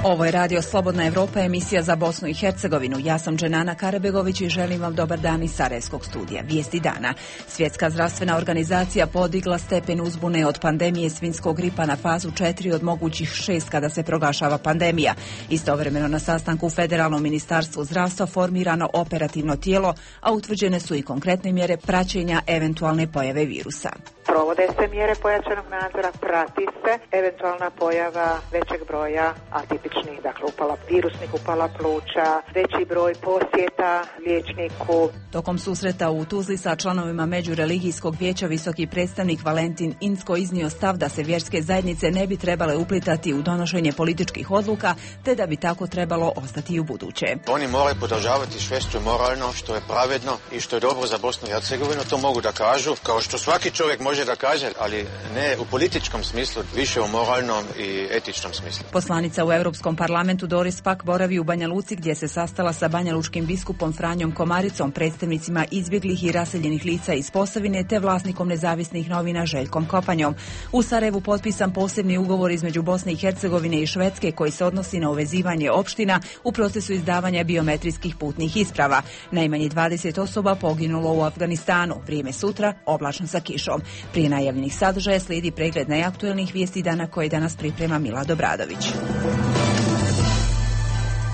Ovo je Radio Slobodna Evropa, emisija za Bosnu i Hercegovinu. Ja sam Dženana Karabegović i želim vam dobar dan iz Sarajevskog studija. Vijesti dana. Svjetska zdravstvena organizacija podigla stepen uzbune od pandemije svinjskog gripa na fazu 4 od mogućih 6 kada se proglašava pandemija. Istovremeno na sastanku u Federalnom ministarstvu zdravstva formirano operativno tijelo, a utvrđene su i konkretne mjere praćenja eventualne pojave virusa. Provode se mjere pojačanog nadzora, prati se eventualna pojava većeg broja atipičnih, dakle virusnih upala pluća, veći broj posjeta liječniku. Tokom susreta u Tuzli sa članovima Međureligijskog vijeća visoki predstavnik Valentin Incko iznio stav da se vjerske zajednice ne bi trebale uplitati u donošenje političkih odluka, te da bi tako trebalo ostati i u buduće. Oni moraju podržavati sve što je moralno, što je pravedno i što je dobro za Bosnu i Hercegovinu, to mogu da kažu, kao što svaki čovjek može da kaže, ali ne u političkom smislu, više u moralnom i etičnom smislu. Poslanica u Europskom parlamentu Doris Pack boravi u Banja Luci gdje se sastala sa banjalučkim biskupom Franjom Komaricom, predstavnicima izbjeglih i raseljenih lica iz Posavine te vlasnikom nezavisnih novina Željkom Kopanjom. U Sarajevu potpisan posebni ugovor između Bosne i Hercegovine i Švedske koji se odnosi na uvezivanje opština u procesu izdavanja biometrijskih putnih isprava. Najmanje 20 osoba poginulo u Afganistanu. Vrijeme sutra oblačno sa kišom. Prije najavljenih sadržaja slijedi pregled najaktuelnijih vijesti dana koje danas priprema Mila Dobradović.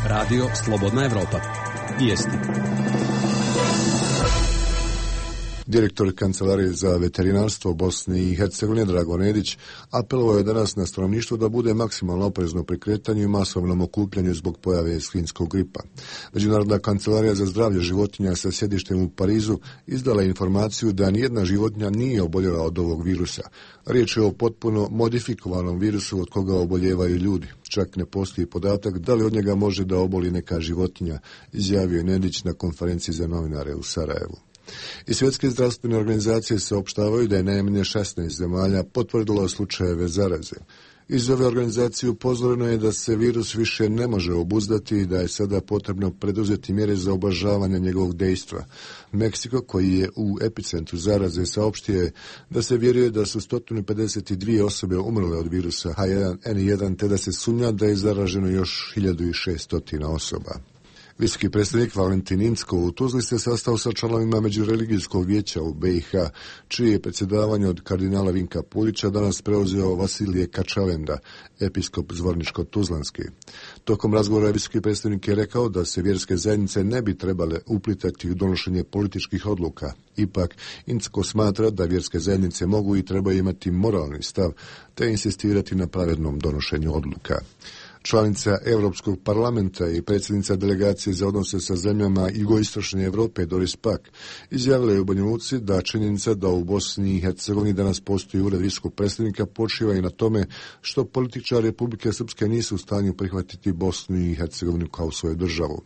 Radio Slobodna Evropa. Vijesti. Direktor Kancelarije za veterinarstvo Bosne i Hercegovine Drago Nedić apelovao je danas na stanovništvo da bude maksimalno oprezno pri kretanju i masovnom okupljanju zbog pojave svinjskog gripa. Međunarodna kancelarija za zdravlje životinja sa sjedištem u Parizu izdala je informaciju da nijedna životinja nije oboljela od ovog virusa. Riječ je o potpuno modifikovanom virusu od koga oboljevaju ljudi. Čak ne postoji podatak da li od njega može da oboli neka životinja, izjavio je Nedić na konferenciji za novinare u Sarajevu. I svjetske zdravstvene organizacije saopštavaju da je najmanje 16 zemalja potvrdilo slučajeve zaraze. Iz ove organizacije upozoreno je da se virus više ne može obuzdati i da je sada potrebno preduzeti mjere za ublažavanje njegovog dejstva. Meksiko, koji je u epicentru zaraze, saopštio je da se vjeruje da su 152 osobe umrle od virusa H1N1, te da se sumnja da je zaraženo još 1600 osoba. Visoki predstavnik Valentin Incko u Tuzli se sastao sa članovima Međureligijskog vijeća u BiH, čije je predsjedavanje od kardinala Vinka Pulića danas preuzeo Vasilije Kačavenda, episkop Zvorničko-Tuzlanski. Tokom razgovora visoki predstavnik je rekao da se vjerske zajednice ne bi trebale uplitati u donošenje političkih odluka. Ipak, Incko smatra da vjerske zajednice mogu i trebaju imati moralni stav, te insistirati na pravednom donošenju odluka. Članica Europskog parlamenta i predsjednica delegacije za odnose sa zemljama jugoistočne Europe Doris Pack izjavila je u Banja Luci da činjenica da u Bosni i Hercegovini danas postoji ured visokog predstavnika počiva i na tome što političari Republike Srpske nisu u stanju prihvatiti Bosnu i Hercegovinu kao svoju državu.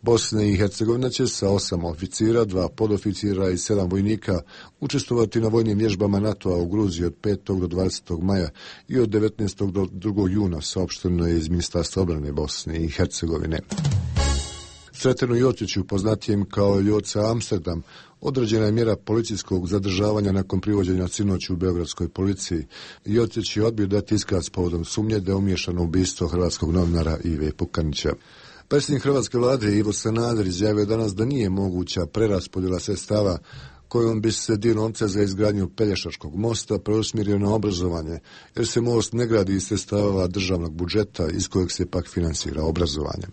Bosna i Hercegovina će sa 8 oficira, 2 podoficira i 7 vojnika učestvovati na vojnim vježbama NATO-a u Gruziji od 5. do 20. maja i od 19. do 2. juna, saopšteno je iz Ministarstva obrane Bosne i Hercegovine. Sretenu Jociću, poznatijem kao Joca Amsterdam, određena je mjera policijskog zadržavanja nakon privođenja sinoć u beogradskoj policiji. Jocić je odbio dati iskaz povodom sumnje da je umiješano u ubistvo hrvatskog novinara Ive Pukanića. Predsjednik hrvatske vlade Ivo Sanader izjavio danas da nije moguća preraspodjela sredstava kojom bi se dio novca za izgradnju Pelješačkog mosta preusmjerio na obrazovanje, jer se most ne gradi iz sredstava državnog budžeta iz kojeg se pak finansira obrazovanje.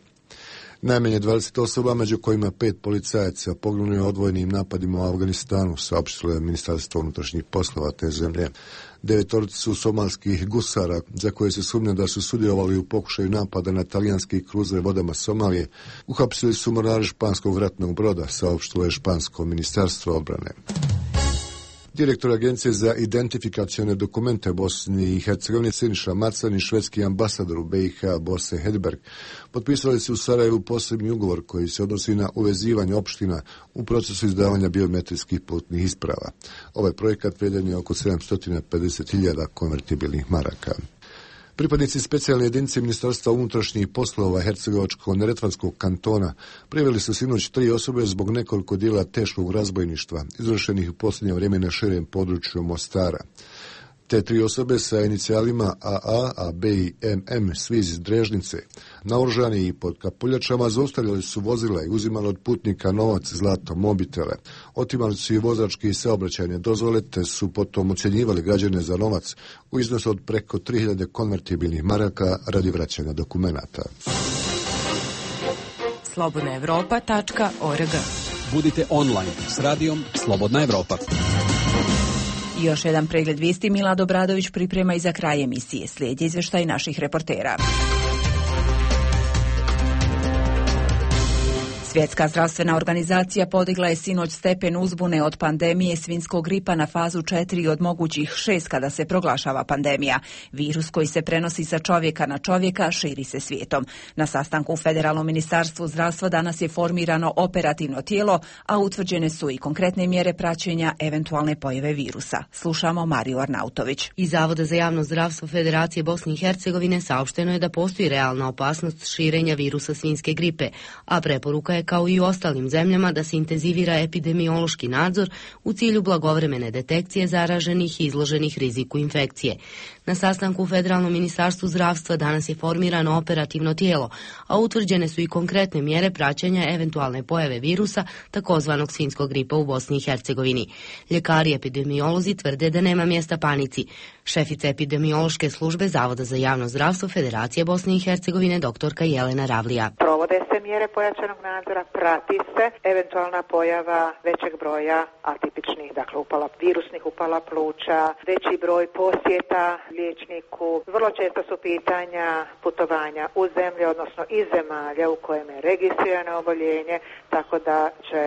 Najmanje 20 osoba, među kojima 5 policajaca, poginulo je odvojenim napadima u Afganistanu, saopštilo je Ministarstvo unutrašnjih poslova te zemlje. 9 su somalskih gusara, za koje se sumnja da su sudjelovali u pokušaju napada na talijanski kruzer vodama Somalije, uhapsili su mornari španskog ratnog broda, saopštilo je špansko ministarstvo odbrane. Direktor Agencije za identifikacione dokumente Bosni i Hercegovine Siniša Macan i švedski ambasador u BiH Bose Hedberg potpisali su u Sarajevu posebni ugovor koji se odnosi na uvezivanje opština u procesu izdavanja biometrijskih putnih isprava. Ovaj projekat vrijedan je oko 750.000 konvertibilnih maraka. Pripadnici specijalne jedinice Ministarstva unutrašnjih poslova Hercegovačko-neretvanskog kantona priveli su sinoć 3 osobe zbog nekoliko djela teškog razbojništva, izvršenih u posljednje vrijeme na širem području Mostara. Te 3 osobe sa inicijalima AA, AB i MM, svi iz Drežnice, naoružani i pod kapuljačama, zaustavljali su vozila i uzimali od putnika novac, zlato, mobitele. Otimali su i vozačke i saobraćajne dozvole, te su potom ucjenjivali građane za novac u iznosu od preko 3000 konvertibilnih maraka radi vraćanja dokumenata. slobodnaevropa.org. Budite online s radijom Slobodna Evropa. Još jedan pregled vijesti Milad Obradović priprema i za kraj emisije. Slijedi izvještaj naših reportera. Svjetska zdravstvena organizacija podigla je sinoć stepen uzbune od pandemije svinjskog gripa na fazu 4 od mogućih 6 kada se proglašava pandemija. Virus koji se prenosi sa čovjeka na čovjeka širi se svijetom. Na sastanku u Federalnom ministarstvu zdravstva danas je formirano operativno tijelo, a utvrđene su i konkretne mjere praćenja eventualne pojave virusa. Slušamo Mariju Arnautović. Iz Zavoda za javno zdravstvo Federacije Bosne i Hercegovine saopšteno je da postoji realna opasnost širenja virusa svinjske gripe, a preporuka je kao i u ostalim zemljama da se intenzivira epidemiološki nadzor u cilju blagovremene detekcije zaraženih i izloženih riziku infekcije. Na sastanku u Federalnom ministarstvu zdravstva danas je formirano operativno tijelo, a utvrđene su i konkretne mjere praćenja eventualne pojave virusa, takozvanog svinjskog gripa u Bosni i Hercegovini. Ljekari i epidemiolozi tvrde da nema mjesta panici. Šefica epidemiološke službe Zavoda za javno zdravstvo Federacije Bosne i Hercegovine doktorka Jelena Ravlija. Provode se mjere pojačanog nadzora, prati se eventualna pojava većeg broja atipičnih, dakle virusnih upala pluća, veći broj posjeta liječniku. Vrlo često su pitanja putovanja u zemlje, odnosno iz zemalja u kojem je registrirano oboljenje, tako da će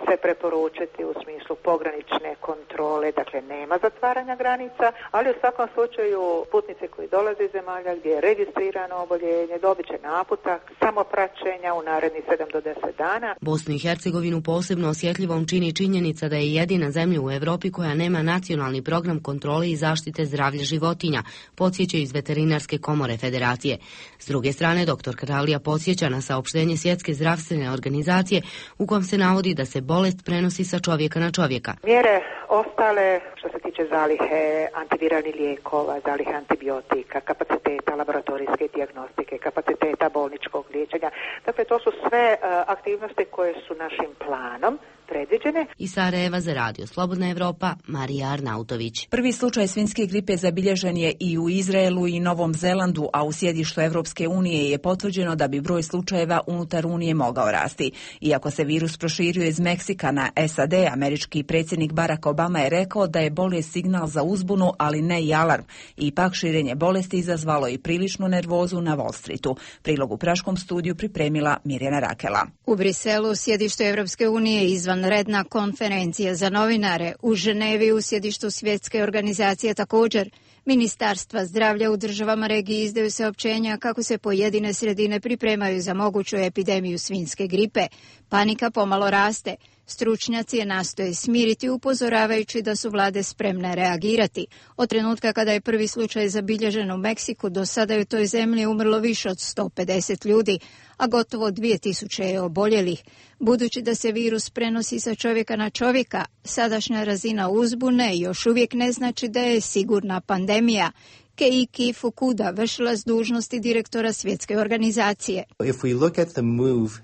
se preporučiti u smislu pogranične kontrole, dakle nema zatvaranja granica, ali u svakom slučaju putnici koji dolaze iz zemalja gdje je registrirano oboljenje dobit će naputak samopraćenja u narednih 7 do 10 dana. Bosnu i Hercegovinu posebno osjetljivom čini činjenica da je jedina zemlja u Europi koja nema nacionalni program kontrole i zaštite zdravlja životinja, podsjeća iz Veterinarske komore Federacije. S druge strane, dr. Kralija podsjeća na saopštenje Svjetske zdravstvene organizacije u kom se navodi da se bolest prenosi sa čovjeka na čovjeka. Mjere ostale što se tiče zalihe antiviralnih lijekova, zalihe antibiotika, kapaciteta laboratorijske dijagnostike, kapaciteta bolničkog liječenja. Dakle, to su sve aktivnosti koje su našim planom predviđene. Iz Sarajeva za radio Slobodna Evropa, Marija Arnautović. Prvi slučaj svinjske gripe zabilježen je i u Izraelu i Novom Zelandu, a u sjedištu Evropske unije je potvrđeno da bi broj slučajeva unutar Unije mogao rasti. Iako se virus proširio iz Meksika na SAD, američki predsjednik Barack Obama je rekao da je bolest signal za uzbunu, ali ne i alarm. Ipak širenje bolesti izazvalo i priličnu nervozu na Wall Streetu. Prilog u Praškom studiju pripremila Mirjana Rakela. U Briselu, sjedištu Evropske unije, izvanredna konferencija za novinare. U Ženevi, u sjedištu Svjetske organizacije također. Ministarstva zdravlja u državama regije izdaju saopćenja kako se pojedine sredine pripremaju za moguću epidemiju svinjske gripe. Panika pomalo raste. Stručnjaci je nastoje smiriti upozoravajući da su vlade spremne reagirati. Od trenutka kada je prvi slučaj zabilježen u Meksiku, do sada je u toj zemlji umrlo više od 150 ljudi, a gotovo 2000 je oboljelih. Budući da se virus prenosi sa čovjeka na čovjeka, sadašnja razina uzbune još uvijek ne znači da je sigurna pandemija. Keiki Fukuda, vršilac dužnosti direktora Svjetske organizacije.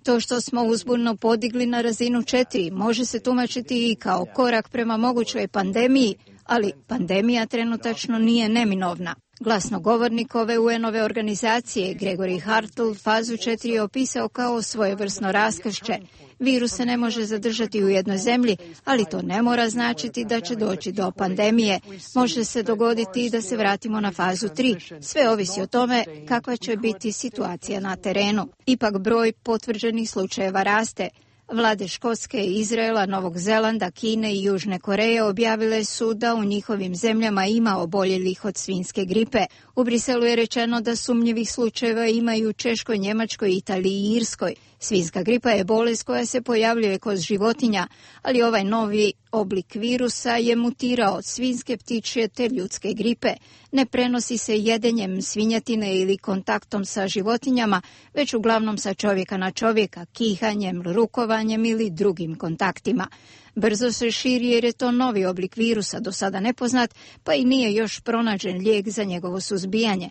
To što smo uzbunu podigli na razinu 4 može se tumačiti i kao korak prema mogućoj pandemiji, ali pandemija trenutačno nije neminovna. Glasnogovornik ove UN-ove organizacije, Gregory Hartl, fazu 4 je opisao kao svojevrsno raskršće. Virus se ne može zadržati u jednoj zemlji, ali to ne mora značiti da će doći do pandemije. Može se dogoditi i da se vratimo na fazu 3. Sve ovisi o tome kakva će biti situacija na terenu. Ipak broj potvrđenih slučajeva raste. Vlade Škotske, Izraela, Novog Zelanda, Kine i Južne Koreje objavile su da u njihovim zemljama ima oboljelih od svinjske gripe. U Briselu je rečeno da sumnjivih slučajeva ima i u Češkoj, Njemačkoj, Italiji i Irskoj. Svinjska gripa je bolest koja se pojavljuje kod životinja, ali ovaj novi oblik virusa je mutirao od svinjske, ptičje te ljudske gripe. Ne prenosi se jedenjem svinjetine ili kontaktom sa životinjama, već uglavnom sa čovjeka na čovjeka, kihanjem, rukovanjem ili drugim kontaktima. Brzo se širi jer je to novi oblik virusa, do sada nepoznat, pa i nije još pronađen lijek za njegovo suzbijanje.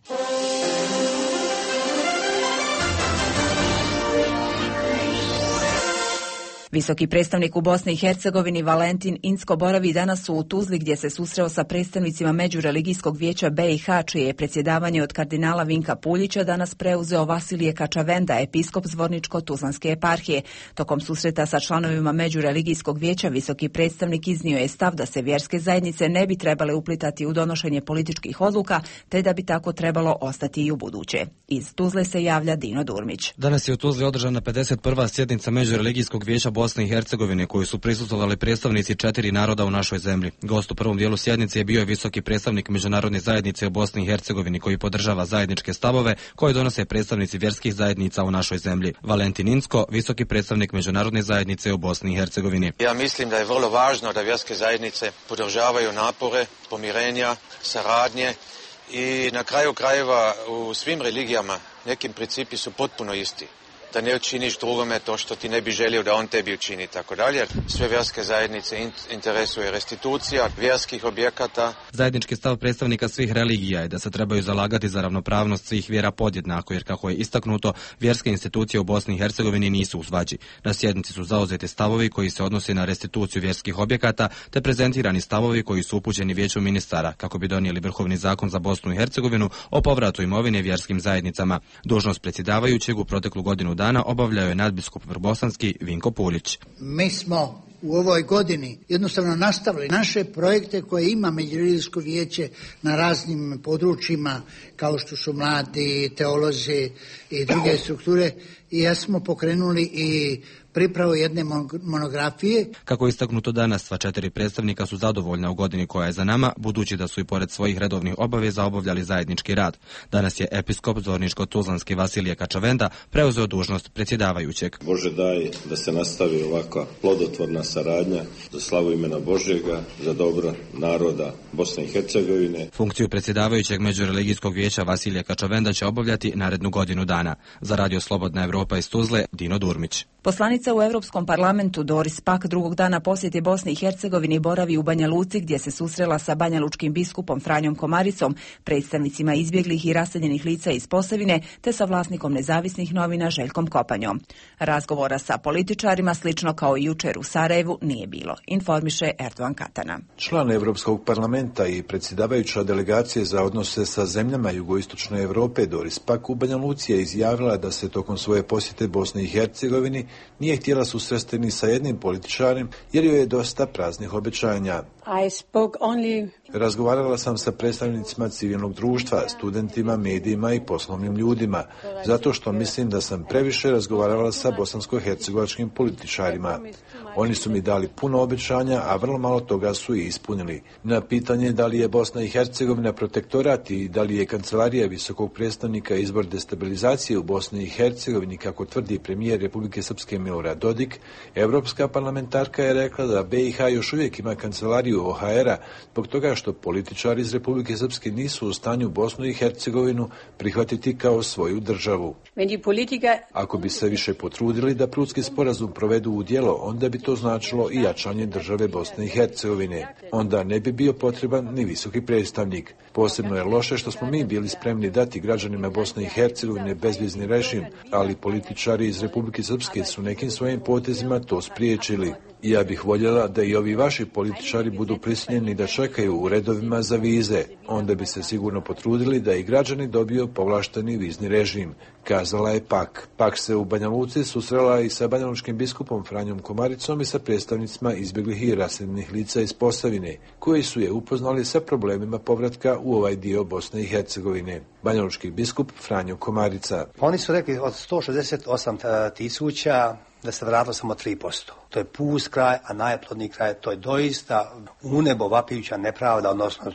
Visoki predstavnik u Bosni i Hercegovini Valentin Incko boravi danas u Tuzli gdje se susreo sa predstavnicima Međureligijskog vijeća BiH, čije je predsjedavanje od kardinala Vinka Puljića danas preuzeo Vasilije Kačavenda, episkop Zvorničko-tuzlanske eparhije. Tokom susreta sa članovima Međureligijskog vijeća visoki predstavnik iznio je stav da se vjerske zajednice ne bi trebale uplitati u donošenje političkih odluka, te da bi tako trebalo ostati i u buduće. Iz Tuzle se javlja Dino Durmić. Danas je u Tuzli održana 51. sjednica Međureligijskog vijeća Bosne i Hercegovine, koju su prisustvovali predstavnici 4 naroda u našoj zemlji. Gost u prvom dijelu sjednice je bio visoki predstavnik Međunarodne zajednice u Bosni i Hercegovini, koji podržava zajedničke stavove koje donose predstavnici vjerskih zajednica u našoj zemlji. Valentin Incko, visoki predstavnik Međunarodne zajednice u Bosni i Hercegovini. Ja mislim da je vrlo važno da vjerske zajednice podržavaju napore pomirenja, saradnje i na kraju krajeva u svim religijama nekim principi su potpuno isti. Da ne učiniš drugome to što ti ne bi želio da on tebi učini, tako dalje. Sve vjerske zajednice interesuje restitucija vjerskih objekata. Zajednički stav predstavnika svih religija je da se trebaju zalagati za ravnopravnost svih vjera podjednako, jer kako je istaknuto, vjerske institucije u Bosni i Hercegovini nisu u svađi. Na sjednici su zauzeti stavovi koji se odnose na restituciju vjerskih objekata, te prezentirani stavovi koji su upućeni vijeću ministara, kako bi donijeli vrhovni zakon za Bosnu i Hercegovinu o povratu imovine vjerskim zajednicama. Dužnost predsjedavajućeg u proteklu godinu dana obavljao je nadbiskup vrbosanski Vinko Puljić. Mi smo u ovoj godini jednostavno nastavili naše projekte koje ima Međureligijsko vijeće na raznim područjima, kao što su mladi, teolozi i druge strukture, i ja smo pokrenuli i pripravu jedne monografije. Kako je istaknuto danas, sva 4 predstavnika su zadovoljna u godini koja je za nama, budući da su i pored svojih redovnih obaveza obavljali zajednički rad. Danas je episkop Zvorničko-tuzlanski Vasilije Kačavenda preuzeo dužnost predsjedavajućeg. Bože daj da se nastavi ovakva plodotvorna saradnja za slavu imena Božjega, za dobro naroda Bosne i Hercegovine. Funkciju predsjedavajućeg Međureligijskog vijeća Vasilije Kačavenda će obavljati narednu godinu dana. Za Radio Slobodna Evropa iz Tuzle, Dino Durmić. Poslanica u Europskom parlamentu Doris Pack drugog dana posjete Bosni i Hercegovini boravi u Banja Luci gdje se susrela sa banjalučkim biskupom Franjom Komaricom, predstavnicima izbjeglih i raseljenih lica iz Posavine te sa vlasnikom nezavisnih novina Željkom Kopanjom. Razgovora sa političarima, slično kao i jučer u Sarajevu, nije bilo, informiše Erdogan Katana. Član Europskog parlamenta i predsjedavajuća delegacije za odnose sa zemljama jugoistočne Europe Doris Pack u Banja Luci je izjavila da se tokom svoje posjete Bosni i Hercegovini nije htjela susresti ni sa jednim političarem jer joj je dosta praznih obećanja. Razgovarala sam sa predstavnicima civilnog društva, studentima, medijima i poslovnim ljudima, zato što mislim da sam previše razgovarala sa bosansko-hercegovačkim političarima. Oni su mi dali puno obećanja, a vrlo malo toga su i ispunili. Na pitanje da li je Bosna i Hercegovina protektorat i da li je kancelarija visokog predstavnika izbor destabilizacije u Bosni i Hercegovini, kako tvrdi premijer Republike Srpske Milorad Dodik, evropska parlamentarka je rekla da BiH još uvijek ima kancelariju OHR-a zbog toga što političari iz Republike Srpske nisu u stanju Bosnu i Hercegovinu prihvatiti kao svoju državu. Ako bi se više potrudili da Prudski sporazum provedu u djelo, onda bi to značilo i jačanje države Bosne i Hercegovine. Onda ne bi bio potreban ni visoki predstavnik. Posebno je loše što smo mi bili spremni dati građanima Bosne i Hercegovine bezvizni režim, ali političari iz Republike Srpske su nekim svojim potezima to spriječili. Ja bih voljela da i ovi vaši političari budu prisiljeni da čekaju u redovima za vize. Onda bi se sigurno potrudili da i građani dobiju povlašteni vizni režim, kazala je Pak. Pak se u Banja Luci susrela i sa banjalučkim biskupom Franjom Komaricom i sa predstavnicima izbjeglih i raseljenih lica iz Posavine, koji su je upoznali sa problemima povratka u ovaj dio Bosne i Hercegovine. Banjalučki biskup Franjo Komarica. Oni su rekli od 168.000 da se vratilo samo 3%. To je pust kraj, a najplodniji kraj, to je doista u nebo vapijuća nepravda, odnosno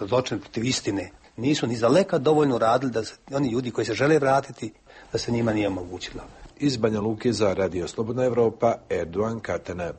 zločin protiv istine. Nisu ni za leka dovoljno radili da se, oni ljudi koji se žele vratiti, da se njima nije omogućilo. Iz Banja Luke za Radio Slobodna Evropa, Erdogan Katana.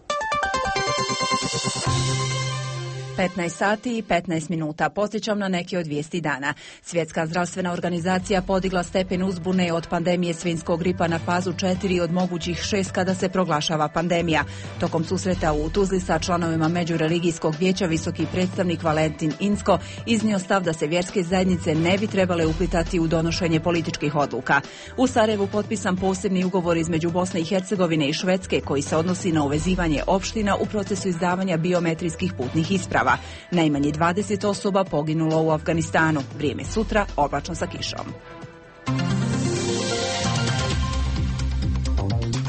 15 sati i 15 minuta. Podsjećam na neke od vijesti dana. Svjetska zdravstvena organizacija podigla stepen uzbune od pandemije svinjskog gripa na fazu 4 od mogućih 6 kada se proglašava pandemija. Tokom susreta u Tuzli sa članovima Međureligijskog vijeća visoki predstavnik Valentin Inzko iznio stav da se vjerske zajednice ne bi trebale uplitati u donošenje političkih odluka. U Sarajevu potpisan posebni ugovor između Bosne i Hercegovine i Švedske koji se odnosi na uvezivanje opština u procesu izdavanja biometrijskih putnih isprava. Najmanje 20 osoba poginulo u Afganistanu. Vrijeme sutra oblačno sa kišom.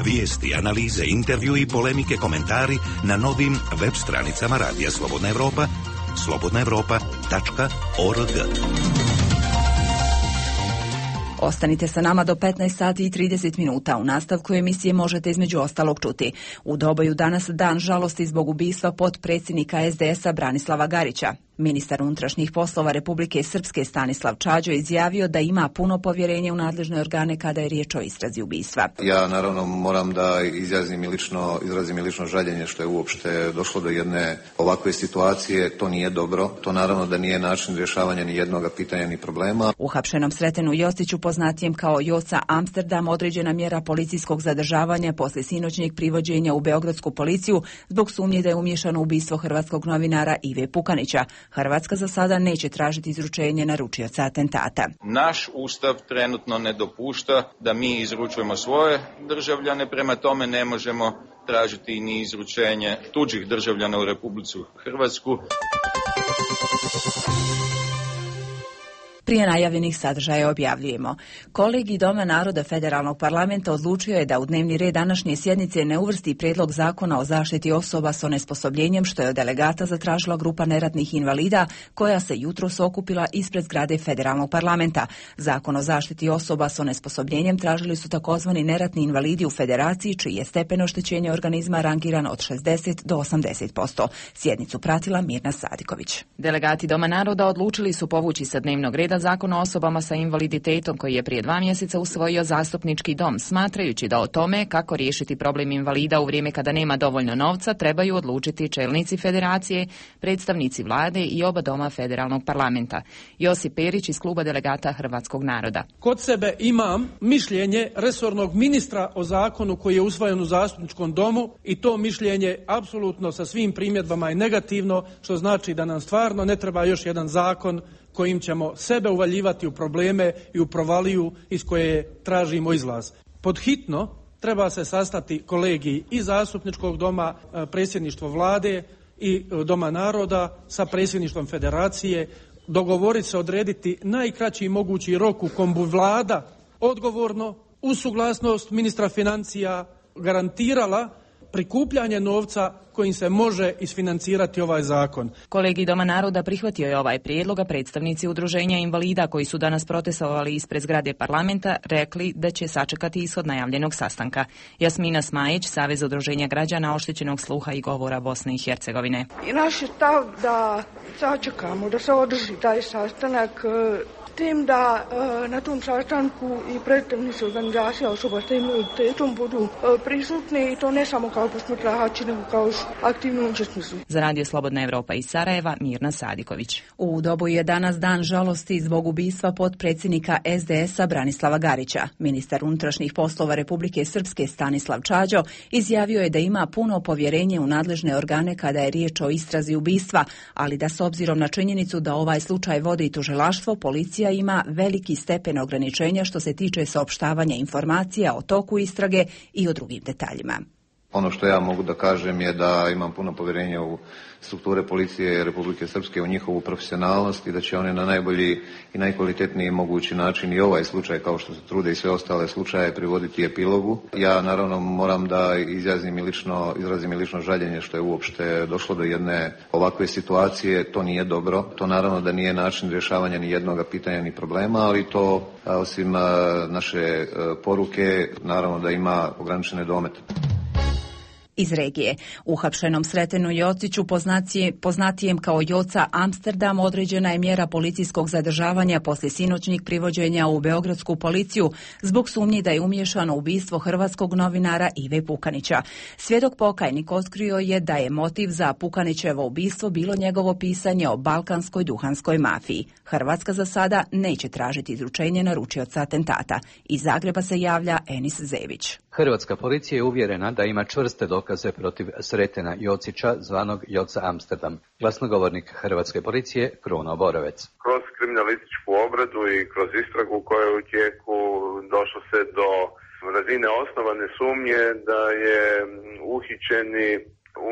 Vijesti, analize, intervju i polemike, komentari na novim web stranicama Radija Slobodna Evropa, slobodnaevropa.org. Ostanite sa nama do 15 sati i 30 minuta. U nastavku emisije možete između ostalog čuti. U Doboju danas dan žalosti zbog ubistva potpredsjednika SDS-a Branislava Garića. Ministar unutrašnjih poslova Republike Srpske Stanislav Čađo izjavio da ima puno povjerenje u nadležne organe kada je riječ o istrazi ubistva. Ja naravno moram da izrazim i lično žaljenje što je uopšte došlo do jedne ovakve situacije. To nije dobro. To naravno da nije način rješavanja ni jednog pitanja ni problema. Uhapšenom Sretenu Jostiću, poznatijem kao Joca Amsterdam, određena mjera policijskog zadržavanja poslije sinoćnjeg privođenja u beogradsku policiju zbog sumnje da je umiješano u ubistvo hrvatskog novinara Ive Pukanića. Hrvatska za sada neće tražiti izručenje naručioca atentata. Naš ustav trenutno ne dopušta da mi izručujemo svoje državljane, prema tome ne možemo tražiti ni izručenje tuđih državljana u Republiku Hrvatsku. Prije najavljenih sadržaja objavljujemo. Kolegij Doma naroda Federalnog parlamenta odlučio je da u dnevni red današnje sjednice ne uvrsti prijedlog zakona o zaštiti osoba s onesposobljenjem, što je od delegata zatražila grupa neratnih invalida koja se jutros okupila ispred zgrade Federalnog parlamenta. Zakon o zaštiti osoba s onesposobljenjem tražili su takozvani neratni invalidi u federaciji, čiji je stepen oštećenja organizma rangiran od 60 do 80%. Sjednicu pratila Mirna Sadiković. Delegati Doma naroda odlučili su povući sa dnevnog reda Zakon o osobama sa invaliditetom koji je prije 2 mjeseca usvojio zastupnički dom, smatrajući da o tome kako riješiti problem invalida u vrijeme kada nema dovoljno novca trebaju odlučiti čelnici federacije, predstavnici vlade i oba doma federalnog parlamenta. Josip Perić iz kluba delegata Hrvatskog naroda. Kod sebe imam mišljenje resornog ministra o zakonu koji je usvojen u zastupničkom domu i to mišljenje apsolutno sa svim primjedbama je negativno, što znači da nam stvarno ne treba još jedan zakon kojim ćemo sebe uvaljivati u probleme i u provaliju iz koje tražimo izlaz. Pod hitno treba se sastati kolegiji i zastupničkog doma, predsjedništvo vlade i Doma naroda sa predsjedništvom federacije, dogovoriti se, odrediti najkraći mogući rok u kom bi vlada odgovorno uz suglasnost ministra financija garantirala prikupljanje novca kojim se može isfinancirati ovaj zakon. Kolegij Doma naroda prihvatio je ovaj prijedlog, a predstavnici udruženja invalida koji su danas protestovali ispred zgrade parlamenta rekli da će sačekati ishod najavljenog sastanka. Jasmina Smajić, Savez udruženja građana oštećenog sluha i govora Bosne i Hercegovine. I naš je stav da sačekamo, da se održi taj sastanak, tim da na tom sastanku i predstavnici organizacija osoba s invaliditetom budu prisutni i to ne samo kao posmatrači, nego kao aktivni učesnici. Za Radio Slobodna Evropa iz Sarajeva, Mirna Sadiković. U Doboju je danas dan žalosti zbog ubistva potpredsjednika SDS-a Branislava Garića. Ministar unutrašnjih poslova Republike Srpske Stanislav Čađo izjavio je da ima puno povjerenje u nadležne organe kada je riječ o istrazi ubistva, ali da s obzirom na činjenicu da ovaj slučaj vodi tužilaštvo, policija ima veliki stepen ograničenja što se tiče saopštavanja informacija o toku istrage i o drugim detaljima. Ono što ja mogu da kažem je da imam puno povjerenja u strukture policije Republike Srpske, u njihovu profesionalnost i da će one na najbolji i najkvalitetniji mogući način i ovaj slučaj, kao što se trude i sve ostale slučaje, privoditi epilogu. Ja naravno moram da izrazim i lično žaljenje što je uopšte došlo do jedne ovakve situacije. To nije dobro. To naravno da nije način rješavanja ni jednog pitanja ni problema, ali to osim naše poruke naravno da ima ograničene domete. Iz regije. Uhapšenom Sretenu Jociću, poznatijem kao Joca Amsterdam, određena je mjera policijskog zadržavanja poslije sinoćnjeg privođenja u beogradsku policiju zbog sumnji da je umiješan u ubistvo hrvatskog novinara Ive Pukanića. Svjedok pokajnik otkrio je da je motiv za Pukanićevo ubistvo bilo njegovo pisanje o balkanskoj duhanskoj mafiji. Hrvatska za sada neće tražiti izručenje naručioca atentata. Iz Zagreba se javlja Enis Zević. Hrvatska policija je uvjerena da ima čvrste dokaze protiv Sretena Jocića, zvanog Joca Amsterdam. Glasnogovornik Hrvatske policije Kruno Borovec. Kroz kriminalističku obradu i kroz istragu koja je u tijeku došlo se do razine osnovane sumnje da je uhićeni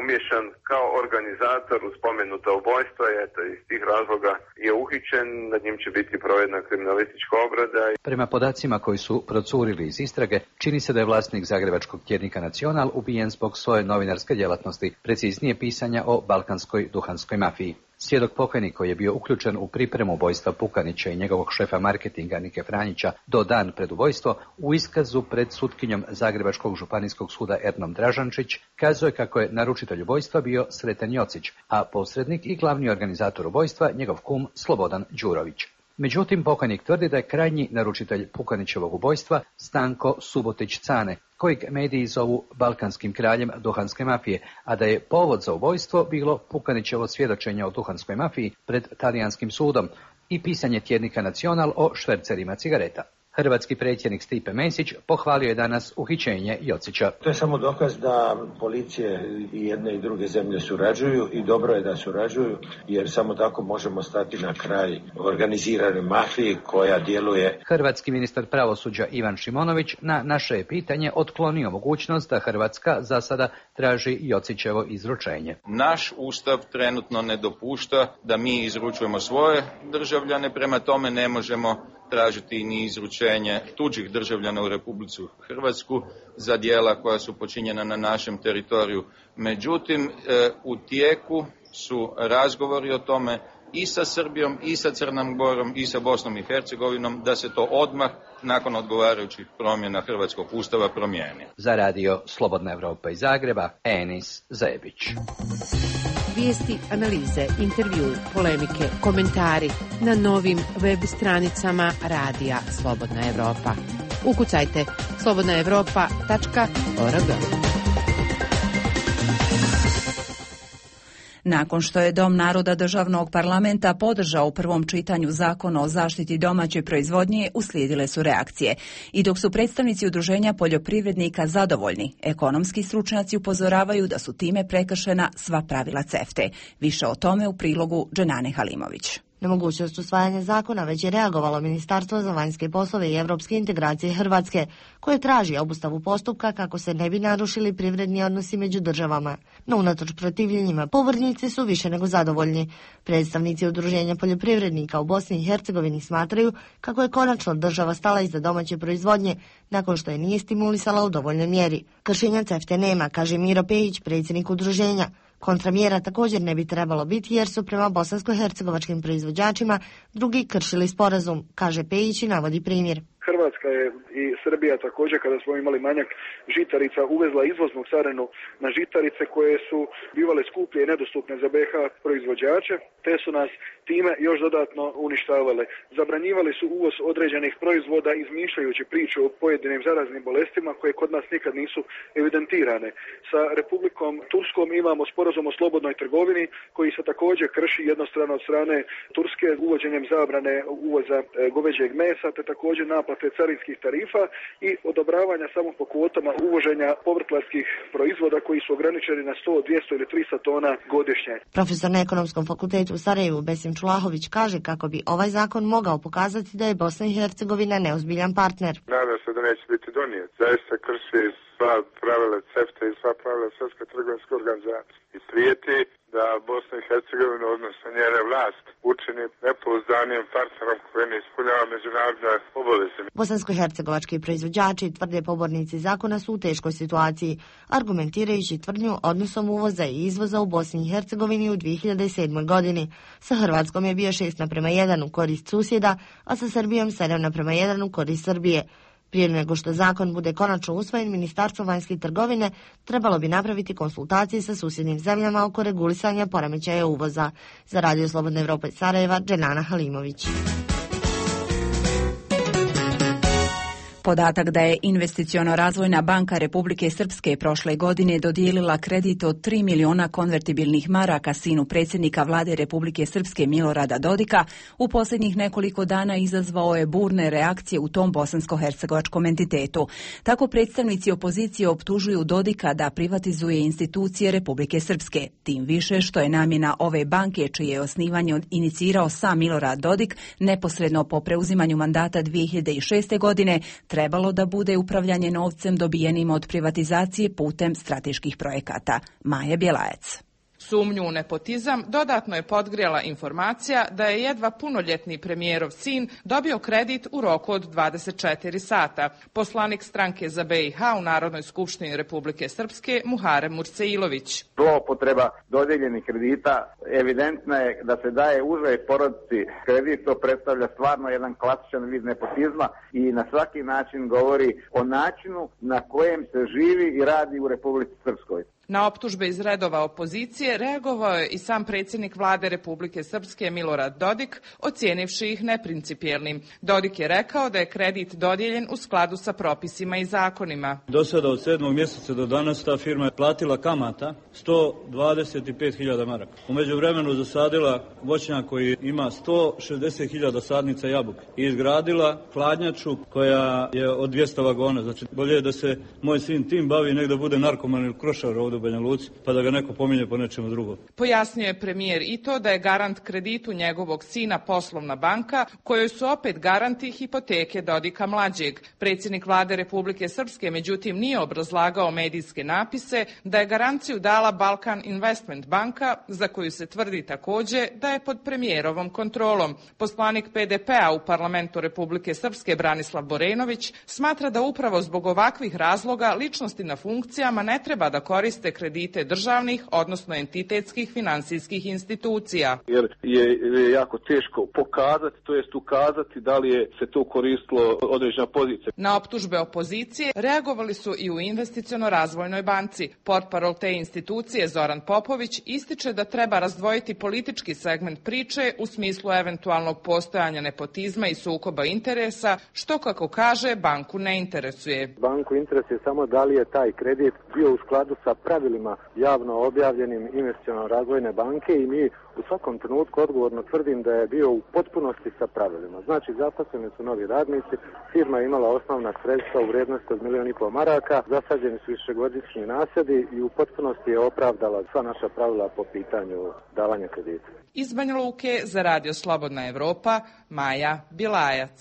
umješan kao organizator u spomenuta ubojstva, eto iz tih razloga je uhićen, nad njim će biti provedena kriminalistička obrada. Prema podacima koji su procurili iz istrage, čini se da je vlasnik zagrebačkog tjednika Nacional ubijen zbog svoje novinarske djelatnosti, preciznije pisanja o balkanskoj duhanskoj mafiji. Svjedok pokajnik koji je bio uključen u pripremu ubojstva Pukanića i njegovog šefa marketinga Nike Franjića do dan pred ubojstvo, u iskazu pred sutkinjom Zagrebačkog županijskog suda Ernom Dražančić kazuje kako je naručitelj ubojstva bio Sreten Jocić, a posrednik i glavni organizator ubojstva njegov kum Slobodan Đurović. Međutim, pokajnik tvrdi da je krajnji naručitelj Pukanićevog ubojstva Stanko Subotić-Cane, kojeg mediji zovu balkanskim kraljem duhanske mafije, a da je povod za ubojstvo bilo Pukanićevo svjedočenje o duhanskoj mafiji pred talijanskim sudom i pisanje tjednika Nacional o švercerima cigareta. Hrvatski predsjednik Stipe Mesić pohvalio je danas uhićenje Jocića. To je samo dokaz da policije i jedne i druge zemlje surađuju i dobro je da surađuju, jer samo tako možemo stati na kraj organizirane mafiji koja djeluje. Hrvatski ministar pravosuđa Ivan Šimonović na naše je pitanje otklonio mogućnost da Hrvatska za sada traži Jocićevo izručenje. Naš ustav trenutno ne dopušta da mi izručujemo svoje državljane, prema tome ne možemo tražiti ni izručenje tuđih državljana u Republiku Hrvatsku za djela koja su počinjena na našem teritoriju. Međutim, u tijeku su razgovori o tome i sa Srbijom, i sa Crnom Gorom, i sa Bosnom i Hercegovinom, da se to odmah, nakon odgovarajućih promjena Hrvatskog ustava, promijeni. Za radio Slobodna Evropa iz Zagreba, Enis Zebić. Vijesti, analize, intervju, polemike, komentari na novim web stranicama radija Slobodna Evropa. Ukucajte slobodnaevropa.org. Nakon što je Dom naroda državnog parlamenta podržao u prvom čitanju zakon o zaštiti domaće proizvodnje, uslijedile su reakcije. I dok su predstavnici udruženja poljoprivrednika zadovoljni, ekonomski stručnjaci upozoravaju da su time prekršena sva pravila CEFTA-e. Više o tome u prilogu Dženane Halimović. Na mogućnost usvajanja zakona već je reagovalo Ministarstvo za vanjske poslove i europske integracije Hrvatske, koje traži obustavu postupka kako se ne bi narušili privredni odnosi među državama. No unatoč protivljenjima, pobornici su više nego zadovoljni. Predstavnici udruženja poljoprivrednika u Bosni i Hercegovini smatraju kako je konačno država stala iza domaće proizvodnje nakon što je nije stimulisala u dovoljnoj mjeri. Kršenja CEFTA nema, kaže Miro Pejić, predsjednik udruženja. Kontramjera također ne bi trebalo biti jer su prema bosansko-hercegovačkim proizvođačima drugi kršili sporazum, kaže Pejić i navodi primjer. Hrvatska je i Srbija također, kada smo imali manjak žitarica, uvezla izvoznu carinu na žitarice koje su bivale skuplje i nedostupne za BiH proizvođače, te su nas time još dodatno uništavale. Zabranjivali su uvoz određenih proizvoda izmišljajući priču o pojedinim zaraznim bolestima koje kod nas nikad nisu evidentirane. Sa Republikom Turskom imamo sporazum o slobodnoj trgovini koji se također krši jednostrano od strane Turske uvođenjem zabrane uvoza goveđeg mesa, te također naplate carinskih tarifa i odobravanja samo po kvotama uvoženja povrtlarskih proizvoda koji su ograničeni na 100, 200 ili 300 tona godišnje. Profesor na Ekonomskom fakultetu u Sarajevu Besim Čulahović kaže kako bi ovaj zakon mogao pokazati da je Bosna i Hercegovina neozbiljan partner. Nadam se da neće biti donijet. Zaista krši sva pravila CEFTA i sva pravila Svjetske trgovinske organizacije i prijeti da Bosna i Hercegovina, odnosno njene vlast, učini nepouzdanim partnerom koji ne ispunjava međunarodne obaveze. Bosansko-hercegovački proizvođači, tvrde pobornici zakona, su u teškoj situaciji, argumentirajući tvrdnju odnosom uvoza i izvoza u Bosni i Hercegovini u 2007. godini. Sa Hrvatskom je bio 6:1 u korist susjeda, a sa Srbijom 7:1 u korist Srbije. Prije nego što zakon bude konačno usvojen, Ministarstvo vanjske trgovine trebalo bi napraviti konsultacije sa susjednim zemljama oko regulisanja poremećaja uvoza. Za Radio Slobodna Evropa iz Sarajeva, Dženana Halimović. Podatak da je Investiciono-razvojna banka Republike Srpske prošle godine dodijelila kredit od 3 miliona konvertibilnih maraka sinu predsjednika vlade Republike Srpske Milorada Dodika u posljednjih nekoliko dana izazvao je burne reakcije u tom bosansko-hercegovačkom entitetu. Tako predstavnici opozicije optužuju Dodika da privatizuje institucije Republike Srpske. Tim više što je namjena ove banke, čije je osnivanje inicirao sam Milorad Dodik neposredno po preuzimanju mandata 2006. godine, trebalo da bude upravljanje novcem dobijenim od privatizacije putem strateških projekata. Maja Bjelajac. Sumnju u nepotizam dodatno je podgrijala informacija da je jedva punoljetni premijerov sin dobio kredit u roku od 24 sata. Poslanik stranke za BiH u Narodnoj skupštini Republike Srpske Muharem Murseilović. Zloupotreba dodijeljenih kredita evidentna je da se daje užoj porodici kredit, to predstavlja stvarno jedan klasičan vid nepotizma i na svaki način govori o načinu na kojem se živi i radi u Republici Srpskoj. Na optužbe iz redova opozicije reagovao je i sam predsjednik vlade Republike Srpske Milorad Dodik, ocijenivši ih neprincipijelnim. Dodik je rekao da je kredit dodijeljen u skladu sa propisima i zakonima. Do sada od 7. mjeseca do danas ta firma je platila kamata 125.000 maraka. U međuvremenu zasadila voćnjak koji ima 160.000 sadnica jabuke i izgradila hladnjaču koja je od 200 vagona. Znači bolje je da se moj sin tim bavi nek da bude narkoman ili krošar ovdje u Banja Luci, pa da ga neko pominje po nečemu drugom. Pojasnio je premijer i to da je garant kreditu njegovog sina poslovna banka, kojoj su opet garanti hipoteke Dodika mlađeg. Predsjednik vlade Republike Srpske međutim nije obrazlagao medijske napise da je garanciju dala Balkan Investment banka, za koju se tvrdi također da je pod premijerovom kontrolom. Poslanik PDP-a u parlamentu Republike Srpske Branislav Borenović smatra da upravo zbog ovakvih razloga ličnosti na funkcijama ne treba da koriste kredite državnih, odnosno entitetskih finansijskih institucija. Jer je jako teško pokazati, to jest ukazati da li je se to koristilo određena pozicija. Na optužbe opozicije reagovali su i u Investiciono-razvojnoj banci. Portparol te institucije Zoran Popović ističe da treba razdvojiti politički segment priče u smislu eventualnog postojanja nepotizma i sukoba interesa, što kako kaže banku ne interesuje. Banku interesuje samo da li je taj kredit bio u skladu sa pravilima javno objavljenim Investiciono-razvojne banke i mi u svakom trenutku odgovorno tvrdim da je bio u potpunosti sa pravilima. Znači zaposleni su novi radnici, firma je imala osnovna sredstva u vrijednosti od 1,5 milijuna maraka, zasađeni su višegodišnji nasadi i u potpunosti je opravdala sva naša pravila po pitanju davanja kredita. Iz Banja Luke za Radio Slobodna Evropa, Maja Bilajac.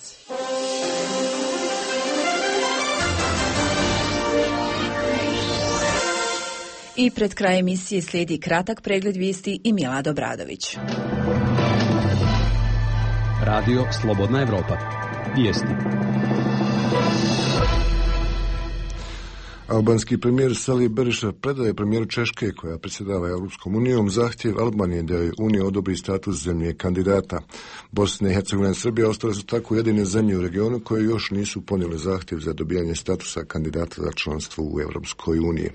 I pred kraj emisije slijedi kratak pregled vijesti i Milad Obradović. Radio Slobodna Evropa. Vijesti. Albanski premijer Sali Berisha predaje premijeru Češke, koja predsjedava Europskom unijom, zahtjev Albanije da joj Unija odobri status zemlje kandidata. Bosna i Hercegovina i Srbija ostale su tako jedine zemlje u regionu koje još nisu ponijele zahtjev za dobijanje statusa kandidata za članstvo u Europskoj uniji.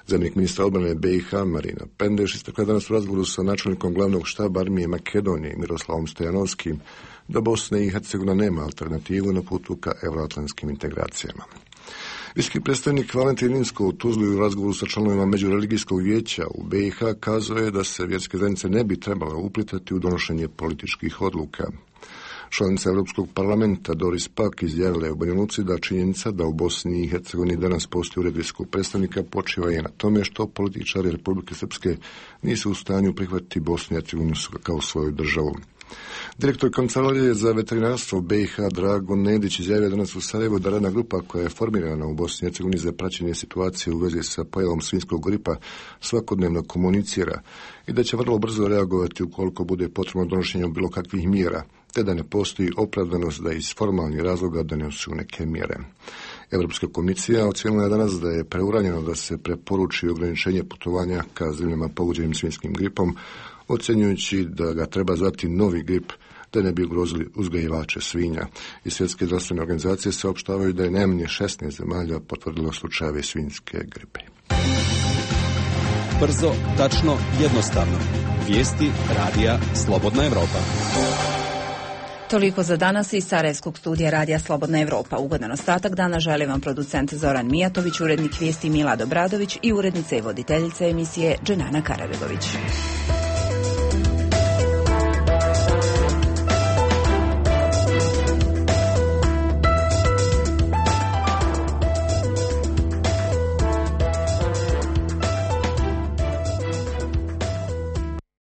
Zamjenik ministra odbrane BiH Marina Pendeš istakla danas u razgovoru sa načelnikom glavnog štaba armije Makedonije Miroslavom Stojanovskim da Bosna i Hercegovina nema alternativu na putu ka euroatlantskim integracijama. Visoki predstavnik Valentin Inzko u Tuzli u razgovoru sa članovima Međureligijskog vijeća u BiH kazao je da se vjerske zajednice ne bi trebale uplitati u donošenje političkih odluka. Članica Europskog parlamenta Doris Pack izjavila je u Banja Luci da činjenica da u Bosni i Hercegovini danas postoji ured visokog predstavnika počiva je na tome što političari Republike Srpske nisu u stanju prihvatiti Bosnu i Hercegovinu kao svoju državu. Direktor Kancelarije za veterinarstvo BiH Drago Nedić izjavio danas u Sarajevu da radna grupa koja je formirana u Bosni i Hercegovini za praćenje situacije u vezi sa pojavom svinjskog gripa svakodnevno komunicira i da će vrlo brzo reagovati ukoliko bude potrebno donošenje bilo kakvih mjera, te da ne postoji opravdanost da iz formalnih razloga donesu neke mjere. Europska komisija ocijenila je danas da je preuranjeno da se preporuči ograničenje putovanja ka zemljama pogođenim svinjskim gripom, ocjenjujući da ga treba zvati novi grip, te ne bi ugrozili uzgajivače svinja. I Svjetske zdravstvene organizacije saopštavaju da je najmanje 16 zemalja potvrdilo slučajeve svinjske gripe. Brzo, tačno, jednostavno. Vijesti radija Slobodna Evropa. Toliko za danas iz Sarajevskog studija radija Slobodna Evropa. Ugodan ostatak dana želi vam producent Zoran Mijatović, urednik vijesti Milad Obradović i urednica i voditeljica emisije Dženana Karabegović.